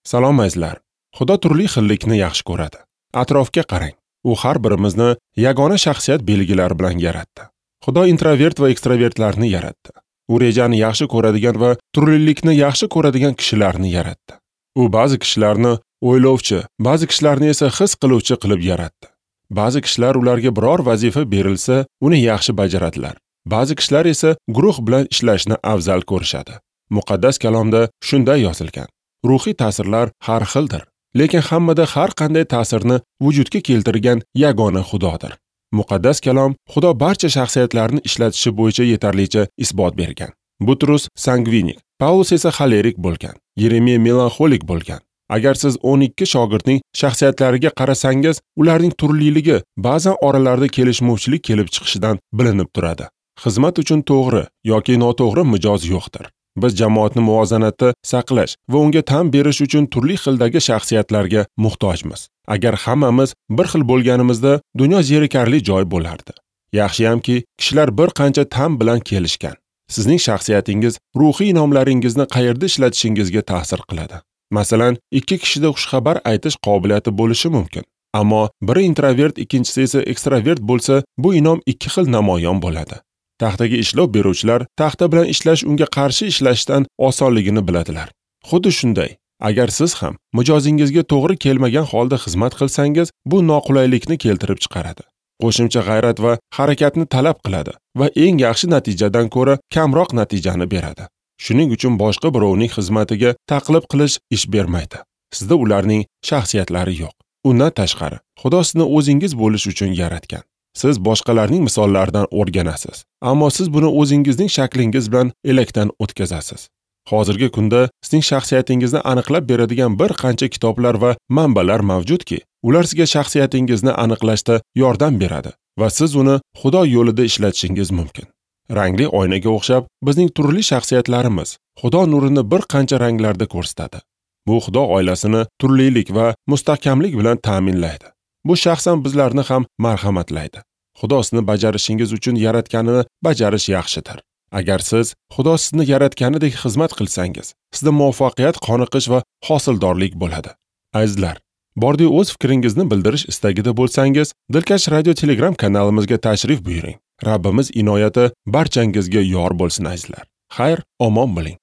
Salom azizlar. Xudo turli xillikni yaxshi ko'radi. Atrofga qarang. U har birimizni yagona shaxsiyat belgilari bilan yaratdi. Xudo introvert va ekstravertlarni yaratdi. U rejani yaxshi ko'radigan va turlilikni yaxshi ko'radigan kishilarni yaratdi. U ba'zi kishilarni o'ylovchi, ba'zi kishilarni esa his qiluvchi qilib yaratdi. Ba'zi kishilar ularga biror vazifa berilsa, uni yaxshi bajaradilar. Ba'zi kishilar esa guruh bilan ishlashni afzal ko'rishadi. Muqaddas kalomda shunday yozilgan: ruhiy ta'sirlar har xildir, lekin hammada har qanday ta'sirni vujudga keltirgan yagona Xudodir. Muqaddas kalom Xudo barcha shaxsiyatlarni ishlatishi bo'yicha yetarlicha isbot bergan. Butrus sangvinik, Paulus esa xolerik bo'lgan, Yeremiya melanxolik bo'lgan. Agar siz 12 shogirdning shaxsiyatlariga qarasangiz, ularning turliligi ba'zan oralarida kelishmovchilik kelib chiqishidan bilinib turadi. Xizmat uchun to'g'ri yoki noto'g'ri mijoz yo'qdir. Biz jamoatni muvozanatda saqlash va unga tan berish uchun turli xildagi shaxsiyatlarga muhtojmiz. Agar hammamiz bir xil bo'lganimizda, dunyo zerikarli joy bo'lardi. Yaxshiyamki, kishilar bir qancha tan bilan kelishgan. Sizning shaxsiyatingiz ruhiy inomlaringizni qayerda islatishingizga ta'sir qiladi. Masalan, ikki kishida xushxabar aytish qobiliyati bo'lishi mumkin. Ammo biri introvert, ikkinchisi esa ekstravert bo'lsa, bu inom ikki xil namoyon bo'ladi. Taxtaga ishlov beruvchilar taxta bilan ishlash unga qarshi ishlashdan osonligini biladilar. Xuddi shunday, agar siz ham mijozingizga to'g'ri kelmagan holda xizmat qilsangiz, bu noqulaylikni keltirib chiqaradi. Qo'shimcha g'ayrat va harakatni talab qiladi va eng yaxshi natijadan ko'ra kamroq natijani beradi. Shuning uchun boshqa birovning xizmatiga taqlid qilish ish bermaydi. Sizda ularning shaxsiyatlari yo'q. Undan tashqari, Xudo sizni o'zingiz bo'lish uchun yaratgan. Siz boshqalarning misollaridan o'rganasiz, ammo siz buni o'zingizning shaklingiz bilan elakdan o'tkazasiz. Hozirgi kunda sizning shaxsiyatingizni aniqlab beradigan bir qancha kitoblar va manbalar mavjudki, ular sizga shaxsiyatingizni aniqlashda yordam beradi va siz uni Xudo yo'lida ishlatishingiz mumkin. Rangli oynaga o'xshab bizning turli shaxsiyatlarimiz Xudo nurini bir qancha ranglarda ko'rsatadi. Bu Xudo oilasini turlilik va mustahkamlik bilan ta'minlaydi. Bu shaxsan bizlarni ham marhamatlaydi. Xudo sizni bajarishingiz uchun yaratganini bajarish yaxshidir. Agar siz Xudo sizni yaratganidek xizmat qilsangiz, sizda muvaffaqiyat, qoniqish va hosildorlik bo'ladi. Azizlar, bordi o'z fikringizni bildirish istagida bo'lsangiz, Dilkash Radio Telegram kanalimizga tashrif buyuring. Rabbimiz inoyati barchangizga yor bo'lsin azizlar. Xayr, omon bo'ling.